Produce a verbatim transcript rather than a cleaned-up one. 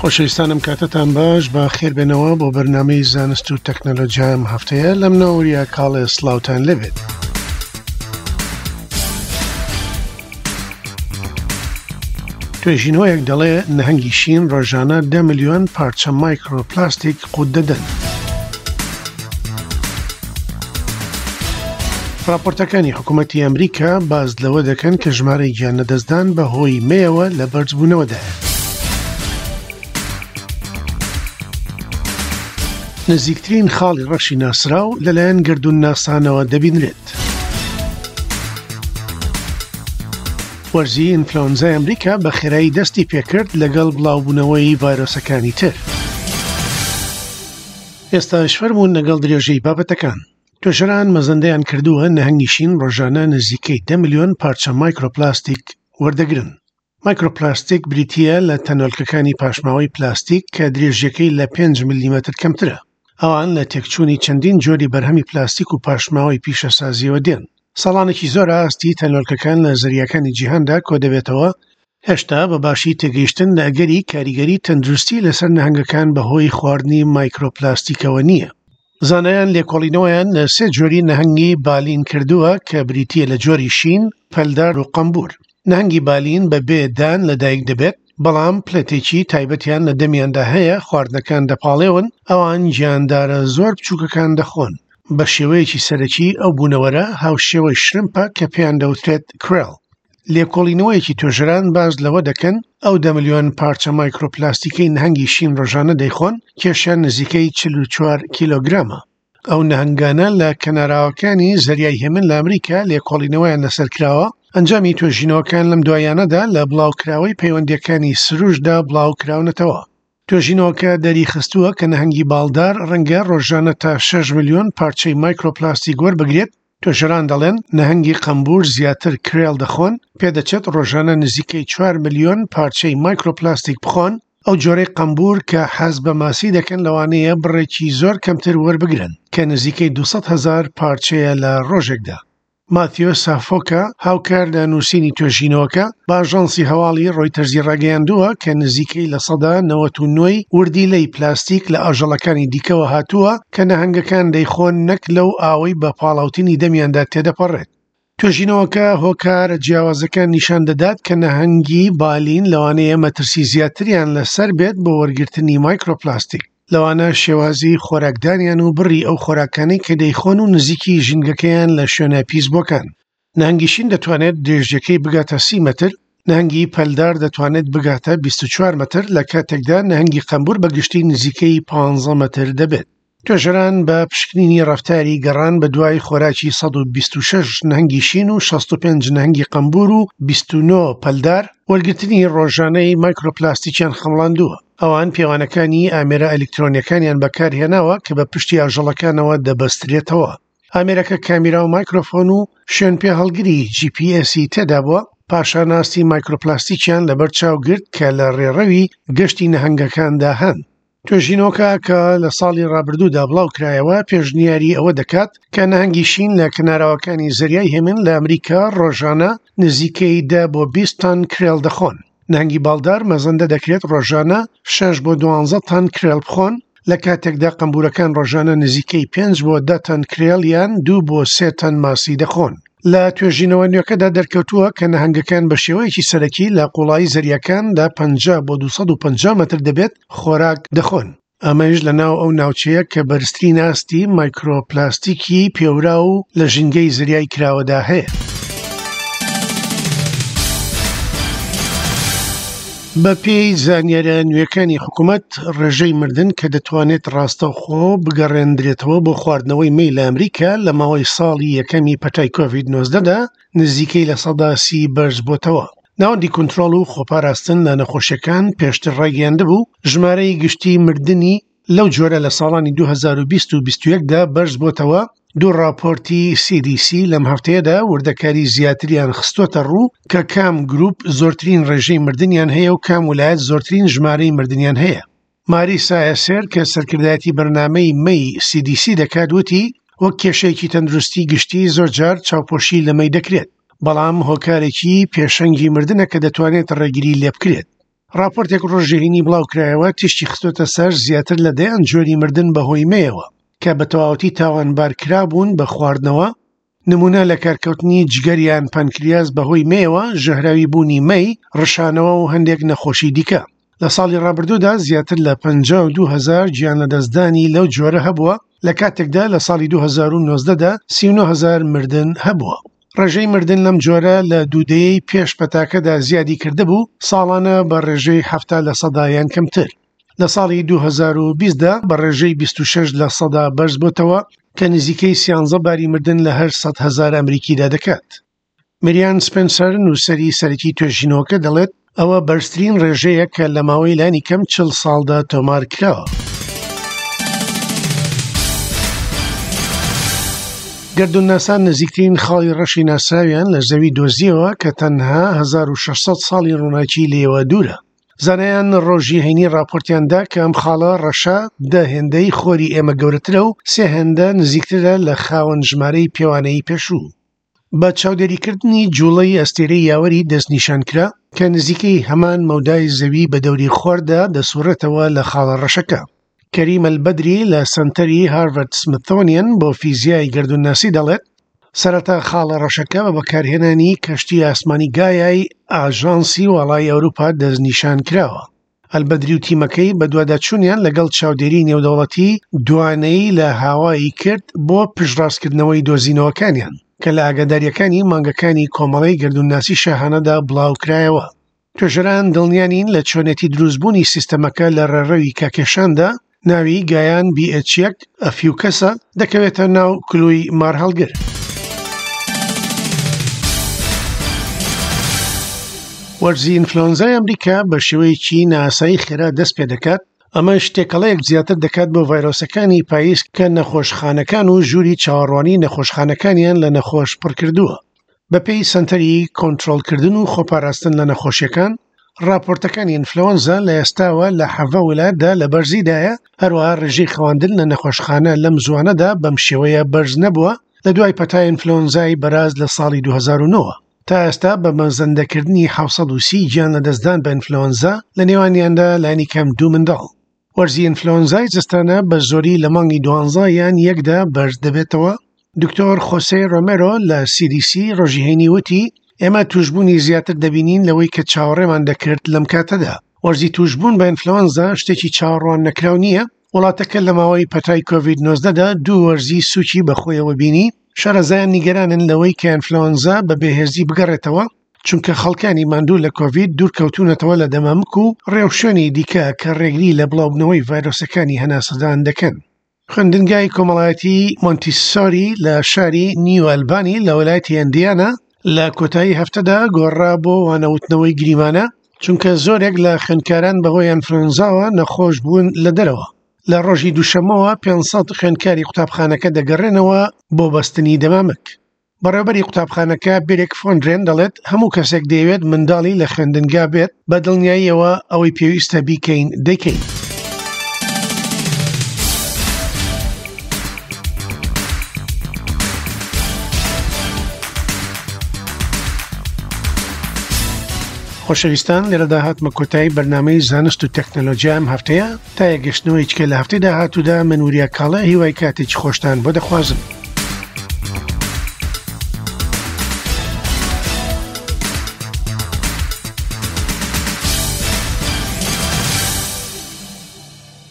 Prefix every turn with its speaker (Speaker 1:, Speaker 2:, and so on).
Speaker 1: خۆشەویستانم کاتتان باش، بە خێربێنەوە بۆ بەرنامەی زانست و تەکنەلۆژیا ئەم هەفتەیە لەم نەوریا کاڵێ سڵاوتان لێبێت. توێژینەوەیەک دەڵێ نەهەنگی شین ڕۆژانە دە ملیۆن پارچە مایکرۆپلاستیک قوت دەدەن. راپۆرتەکانی حکوومەتی ئەمریکا باز لەوە دەکەن کە ژمارەی گیان لەدەستدان بە هۆی مەیەوە لە بەرزبوونەوەدایە. نزیکترین خاڵی ڕەشی ناسراو لەلایەن گەردوون ناسانەوە دەبینرێت. وەرزی ئینفلۆنزای ئەمریکا بە خێرایی دەستی پێکرد لەگەڵ بڵاوبوونەوەی ڤایرۆسەکانی تر. ئێستاش فەرموون لەگەڵ درێژەی بابەتەکان. توێژەران مەزەندەیان کردووە نەهەنگی شین ڕۆژانە نزیکەی دە ملیۆن پارچە مایکرۆپلاستیک وەردەگرن. مایکرۆپلاستیک بریتییە لە تەنۆلکەکانی پاشماوەی پلاستیک کە درێژیەکەی لە پێنج ملیمەتر کەمترە. ئەوان لە تێکچوونی چەندین جۆری بەرهەمی پلاستیک و پاشماوەی پیشەسازیەوە دێن. ساڵانێکی زۆر ئاستی تەنۆلکەکان لە زەریاکانی جیهاندا کۆدەبێتەوە، هێشتا بە باشی تێگەیشتن لە ئەگەری کاریگەری تەندروستی لەسەر نەهەنگەکان بەهۆی خواردنی مایکرۆپلاستیکەوە نییە. زانایان لێکۆڵینەوەیان لە سێ جۆری نەهەنگی بالین کردووە کە بریتییە لە جۆری شین، پەلدار و قەمبور. نەهەنگی بالین بە بێ دان لەدایک دەبێت، بەڵام پلێتێکی تایبەتیان لە دەمیاندا هەیە خواردنەکان دەپاڵێون. ئەوان گیاندارە زۆر بچووکەکان دەخۆن. بە شێوەیەکی سەرەکی ئەو بوونەوەرە هاوشێوەی شرمپە کە پێیان دەوترێت کرێڵ. لێکۆڵینەوەیەکی توێژەران باز لەوە دەکەن ئەو دە ملیۆن پارچە مایکرۆپلاستیکەی نەهەنگی شین ڕۆژانە دەیخۆن کێشیان نزیکەی چل و چوار کیلۆگرامە. ئەو نەهەنگانە لە کەناراوەکانی زەریای هێمن لە ئەمریکا لێکۆڵینەوەیان لەسەر کراوە. ئەنجامی توێژینەوەکان لەم دوایانەدا لە بڵاوکراوەی پەیوەندیەکانی سروشتدا بڵاوکراونەتەوە. توێژینەوەکە دەریخستووە کە نەهەنگی باڵدار ڕەنگە ڕۆژانە تا شەش ملیۆن پارچەی مایکرۆپلاستیک وەربگرێت. توێژەران دەڵێن نەهەنگی قەمبور زیاتر کرێڵ دەخۆن، پێدەچێت ڕۆژانە نزیکەی چوار ملیۆن پارچەی مایکرۆپلاستیک بخۆن. ئەو جۆرەی قەمبور کە حەز بە ماسی دەکەن لەوانەیە بڕێکی زۆر کەمتر وەربگرن کە نزیکەی دووسەد هەزار پارچەیە لە ڕۆژێکدا. ماتیۆ سافۆکا هاوکار لە نووسینی توێژینەوەکە بە ئاژانسی هەواڵی ڕۆیتەرزی ڕاگەیاندووە کە نزیکەی لە سەدا نەوەت و نۆی وردیلەی پلاستیک لە ئاژەڵەکانی دیکەوە هاتووە کە نەهەنگەکان دەیخۆن نەک لەو ئاوەی بە پاڵاوتنی دەمیاندا تێدەپەڕێت. توێژینەوەکە هۆکارە جیاوازەکان نیشان دەدات کە نەهەنگی بالین لەوانەیە مەترسی زیاتریان لەسەر بێت بۆ وەرگرتنی مایکرۆپلاستیک، لەوانە شێوازی خۆراکدانیان و بڕی ئەو خۆراکانەی کە دەیخۆن و نزیکی ژینگەکەیان لە شوێنە پیسبووەکان. نەهەنگی شین دەتوانێت درێژیەکەی بگاتە سی مەتر، نەهەنگی پەلدار دەتوانێت بگاتە بیست و چوار مەتر، لە کاتێکدا نەهەنگی قەمبور بەگشتی نزیکەی پانزە مەتر دەبێت. توێژەران بە پشکنینی ڕەفتاری گەڕان بە دوای خۆراکی سەد و بیست و شەش نەهەنگی شین و شەست و پێنج نەهەنگی قەمبور و بیست و نۆ پەلدار وەرگرتنی ڕۆژانەی مایکرۆپلاستیکیان خەمڵاندووە. ئەوان پێوانەکانی ئامێرە ئەلکترۆنیەکانیان بەکارهێناوە کە بە پشتی ئاژەڵەکانەوە دەبەسترێتەوە. ئامێرەکە کامیرا و مایکرۆفۆن و شوێن پێهەڵگری جی پی ئێسی تێدا بووە. پاشان ئاستی مایکرۆپلاستیکیان لەبەر چاو گرت کە لە ڕێڕەوی گەشتی نەهەنگەکاندا هەن. توێژینەوەکە کە لە ساڵی ڕابردوودا بڵاو کرایەوە پێشنیاری ئەوە دەکات کە نەهەنگی شین لە کەناراوەکانی زەریای هێمن لە ئەمریکا ڕۆژانە نزیکەی دە بۆ بیست تەن کرێڵ دەخۆن. نەهەنگی باڵدار مەزەندە دەکرێت ڕۆژانە شەش بۆ دوانزە تەن کرێڵ بخۆن، لە کاتێکدا قەمبورەکان ڕۆژانە نزیکەی پێنج بۆ دە تەن کرێڵ یان دوو بۆ سێ تەن ماسی دەخۆن. لە توێژینەوە نوێکەدا دەرکەوتووە کە نەهەنگەکان بە شێوەیەکی سەرەکی لە قوڵایی زەریاکاندا پەنجا بۆ دووسەد و پەنجا مەتر دەبێت خۆراک دەخۆن. ئەمەش لەناو ئەو ناوچەیە کە بەرزترین ئاستی مایکرۆپلاستیکی پێورا و لە ژینگەی زەریای کراوەدا هەیە. بە پێی زانیاریە نوێەکانی حکوومەت، ڕێژەی مردن کە دەتوانێت ڕاستەوخۆ بگەڕێندرێتەوە بۆ خواردنەوەی مەی لە ئەمریکا لە ماوەی ساڵی یەکەمی پەتای کۆڤید نۆزدەدا نزیکەی لە سەدا سی بەرز بۆتەوە. ناوەندی کۆنترۆڵ و خۆپاراستن لە نەخۆشیەکان پێشتر ڕایگەیاندبوو ژمارەی گشتی مردنی لەو جۆرە لە ساڵانی دوو هەزار و بیست و بیست و یەکدا بەرز بۆتەوە. دوو راپۆرتی سی دی سی لەم هەفتەیەدا وردەکاری زیاتریان خستۆتە ڕوو کە کام گروپ زۆرترین ڕێژەی مردنیان هەیە و کام ولایەت زۆرترین ژمارەی مردنیان هەیە. ماریسا ئێسێر کە سەرکردایەتی بەرنامەی مەی سی دی سی دەکات وتی وەک کێشەیەکی تەندروستی گشتی زۆر جار چاوپۆشی لە مەی دەکرێت، بەڵام هۆکارێکی پێشەنگی مردنە کە دەتوانێت ڕێگری لێ بکرێت. ڕاپۆرتێک ڕۆژی هەینی بڵاوکرایەوە تیشکی خستۆتە سەر زیاتر لە دەیان جۆری مردن بەهۆی مەیەوە کە بە تەواوەتی تاوانبارکرابوون بە خواردنەوە، نمونە لە کارکەوتنی جگەر یان پەنکریاس بەهۆی مەیەوە، ژەهراوی بوونی مەی، ڕشانەوە و هەندێک نەخۆشی دیکە. لە ساڵی ڕابردوودا زیاتر لە پەنجا و دوو هەزار گیان لەدەستدانی لەو جۆرە هەبووە، لە کاتێکدا لە ساڵی دوو هەزار و نۆزدە دا سی و نۆ هەزار مردن هەبووە. ڕێژەی مردن لەم جۆرە لە دوو دەیەی پێش پەتاکەدا زیادی کردبوو، ساڵانە بە ڕێژەی حەفتا لە سەدا یان کەمتر. لە ساڵی دوو هەزار و بیست دا بە ڕێژەی بیست و شەش لە سەدا بەرز بۆتەوە کە نزیکەی سیانزە باری مردن لە هەر سەد هەزار ئەمریکیدا دەکات. مریان سپنسەر نووسەری سەرەکی توێژینەوەکە دەڵێت ئەوە بەرزترین ڕێژەیە کە لە ماوەی لانی کەم چل ساڵدا تۆمار کراوە. گەردوونناسان نزیکترین خاڵی ڕەشی ناسراویان لە زەوی دۆزیەوە کە تەنها هەزار و شەش سەد ساڵی ڕووناکی لێوە دوورە. زانایان ڕۆژی هەینی ڕاپۆرتیاندا کە ئەم خاڵە ڕەشە دە هێندەی خۆری ئێمە گەورەترە و سێ هێندە نزیکترە لە خاوەن ژمارەی پێوانەیی پێشوو. بە چاودێریکردنی جوڵەی ئەستێرەی یاوەری دەستنیشان کرا کە نزیکەی هەمان مەودای زەوی بە دەوری خۆردا دەسوڕێتەوە لە خاڵە ڕەشەکە. کەریم ئەلبەدری لە سەنتەری هارڤارد سمیثۆنیەن بۆ فیزیای گەردوونناسی دەڵێت سەرەتا خاڵە ڕەشەکە بە بەکارهێنانی کەشتی ئاسمانی گایای ئاژانسی واڵای ئەوروپا دەستنیشان کراوە. ئەلبەدری و تیمەکەی بەدواداچوونیان لەگەڵ چاودێری نێودەوڵەتی دوانەی لە هاوایی کرد بۆ پشتڕاستکردنەوەی دۆزینەوەکانیان کە لە ئاگاداریەکانی مانگەکانی کۆمەڵەی گەردوونناسی شاهانەدا بڵاوکرایەوە. توێژەران دڵنیانین لە چۆنێتی دروستبوونی سیستەمەکە لە ڕێڕەوی کاکێشاندا ناوی گایان بی ئێچ یەک ئەفیوکەسە دەکەوێتە ناو کلووی مارهەڵگر. وەرزی ئینفلۆنزای ئەمریکا بە شێوەیەکی ناسایی خێرا دەست پێ دەکات، ئەمەش تێکەڵەیەک زیاتر دەکات بۆ ڤایرۆسەکانی پاییز کە نەخۆشخانەکان و ژووری چاوەڕوانی نەخۆشخانەکانیان لە نەخۆش پڕکردووە. بەپێی سەنتەری کۆنترۆڵکردن و خۆپاراستن لە نەخۆشیەکان، ڕاپۆرتەکانی ئینفلۆنزا لە ئێستاوە لە حەڤە وڵاتدا لە بەرزیدایە، هەروەها ڕێژەی خەواندن لە نەخۆشخانە لەم زوانەدا بەم شێوەیە بەرز نەبووە لە دوای پەتای ئینفلۆنزای بەراز لە ساڵی دوو هەزار و نۆ. تا ئێستا بە مەزەندەکردنی حەوت سەد و سی گیان لەدەستدان بە ئینفلۆنزا لە نێوانیاندا لانی کەم دوو منداڵ. وەرزی ئینفلۆنزای زستانە بە زۆری لە مانگی دوانزە یان یەکدا بەرز دەبێتەوە. دکتۆر خۆسێ ڕۆمێرۆ لە سی دی سی ڕۆژی هەینی وتی ئێمە توشبوونی زیاتر دەبینین لەوەی کە چاوەڕێمان دەکرد لەم کاتەدا. وەرزی توشبوون بە ئینفلۆنزا شتێکی چاوەڕوان نەکراو نییە. وڵاتەکە لە ماوەی پەتای کۆڤید نۆزدەدا دوو وەرزی سووکی بەخۆیەوە بینی. شارەزایان نیگەرانن لەوەی کە ئینفلۆنزا بە بێهێزی بگەڕێتەوە، چونکە خەڵکانی ماندوو لە کۆڤید دوورکەوتونەتەوە لە دەمامک و ڕێوشوێنی دیکە کە ڕێگری لە بڵاوبوونەوەی ڤایرۆسەکانی هەناسەدان دەکەن. خوێندنگای کۆمەڵایەتی مۆنتیسۆری لە شاری نیو ئەلبانی لە ویلایەتی ئەندیانا لە کۆتایی هەفتەدا گۆڕا بۆ وانەوتنەوەی گریمانە، چونکە زۆرێک لە خوێندکاران بەهۆی ئینفلۆنزاوە نەخۆش بوون لە دەرەوە. لە ڕۆژی دووشەممەوە پێنج سەد خوێندکاری قوتابخانەکە دەگەڕێنەوە بۆ بەستنی دەمامک. بەڕێوەبەری قوتابخانەکە بێرێک فۆندرێن دەڵێت هەموو کەسێک دەیەوێت منداڵی لە خوێندنگا بێت، بە دڵنیاییەوە ئەوەی پێویستە بیکەین دەیکەین. خۆشەویستان، لێرەدا هاتمە کۆتایی بەرنامەی زانست و تەکنەلۆژیا ئەم هەفتەیە. تا یەکگەشتنەوەی چکە لە هەفتەی داهاتوودا من وریا کاڵە هیوای کاتێکی خۆشتان بۆ دەخوازم.